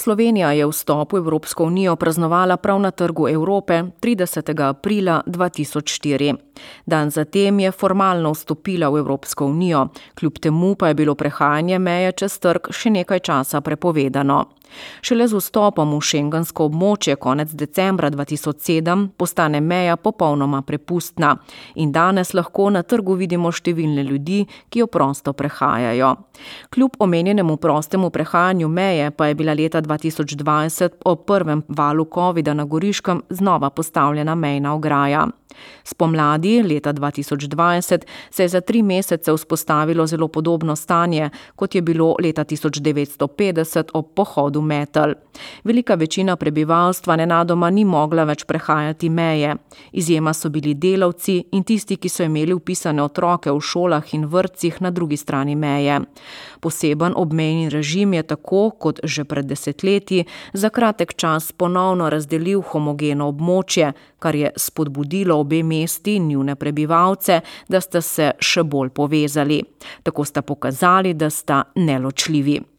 Slovenija je vstop v Evropsko unijo praznovala prav na Trgu Evrope 30. aprila 2004. Dan zatem je formalno vstopila v Evropsko unijo, kljub temu pa je bilo prehajanje meje čez trg še nekaj časa prepovedano. Šele z vstopom v šengensko območje konec decembra 2007 postane meja popolnoma prepustna in danes lahko na trgu vidimo številne ljudi, ki jo prosto prehajajo. Kljub omenjenemu prostemu prehajanju meje pa je bila leta 2020 ob prvem valu covida na Goriškem znova postavljena mejna ograja. Spomladi leta 2020 se je za 3 mesece vzpostavilo zelo podobno stanje, kot je bilo leta 1950 ob pohodu Metelj. Velika večina prebivalstva nenadoma ni mogla več prehajati meje. Izjema so bili delavci in tisti, ki so imeli vpisane otroke v šolah in vrtcih na drugi strani meje. Poseben obmejni režim je tako, kot že pred desetletji, za kratek čas ponovno razdelil homogeno območje, kar je spodbudilo obe mesti in njune prebivalce, da sta se še bolj povezali. Tako sta pokazali, da sta neločljivi.